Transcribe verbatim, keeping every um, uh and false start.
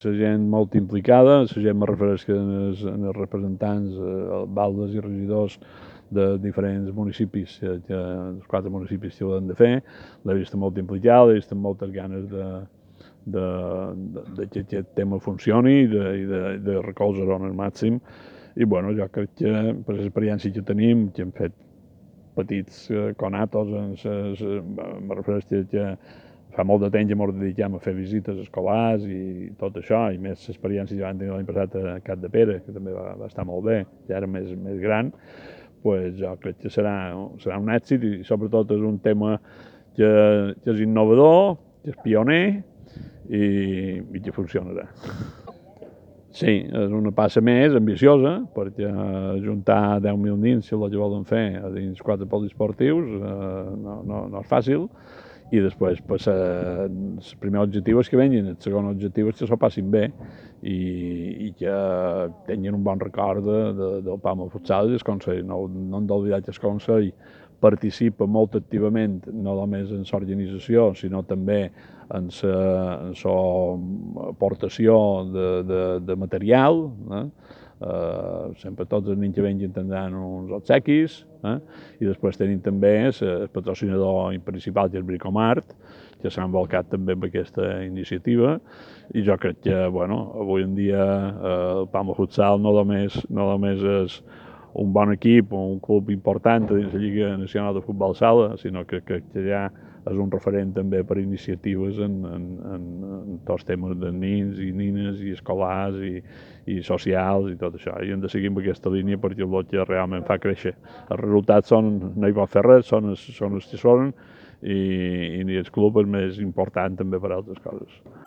La gent molt implicada, la gent me refereix que en els, en els representants, eh, alcaldes i regidors de diferents municipis, que, que els quatre municipis que ho han de fer, l'he vist molt implicada, l'he vist amb moltes ganes de, de, de, de que aquest tema funcioni i de, i de, de recolzar-ho al màxim. I bueno, jo crec que per l'experiència que tenim, que hem fet petits eh, conatos, en ses, me refereix que fa molt de temps que ens dediquem a fer visites escolars i tot això, i més l'experiència que vam tenir l'any passat a Cap de Pere, que també va, va estar molt bé, ja era més, més gran, pues jo crec que serà, serà un èxit i sobretot és un tema que, que és innovador, que és pioner i, i que funcionarà. Sí, és una passa més ambiciosa, perquè juntar deu mil nins, si el que volen fer, a dins quatre poliesportius, eh, no, no, no és fàcil, i després pues, eh, el primer objectiu és que venguin, el segon objectiu és que s'ho passin bé i, i que tinguin un bon record de, de, del Palma Futsal i del Consell. No, no hem d'oblidar que el Consell participa molt activament, no només en l'organització, sinó també en la aportació de, de, de material, eh? Uh, sempre tots els nens que venguin tindran uns obsequis, eh? I després tenim també el patrocinador principal, que és Bricomart, que s'ha envolcat també amb aquesta iniciativa, i jo crec que, bueno, avui en dia eh, el Palma Futsal no només, no només és un bon equip, un club important dins la Lliga Nacional de Futbol Sala, sinó que, que, que ja és un referent també per iniciatives en, en, en, en tots temes de nins i nines i escolars i, i socials i tot això. I hem de seguir amb aquesta línia perquè és el que realment fa créixer. Els resultats són, no hi pot fer res, són els, són els que són, i, i el club és més important també per altres coses.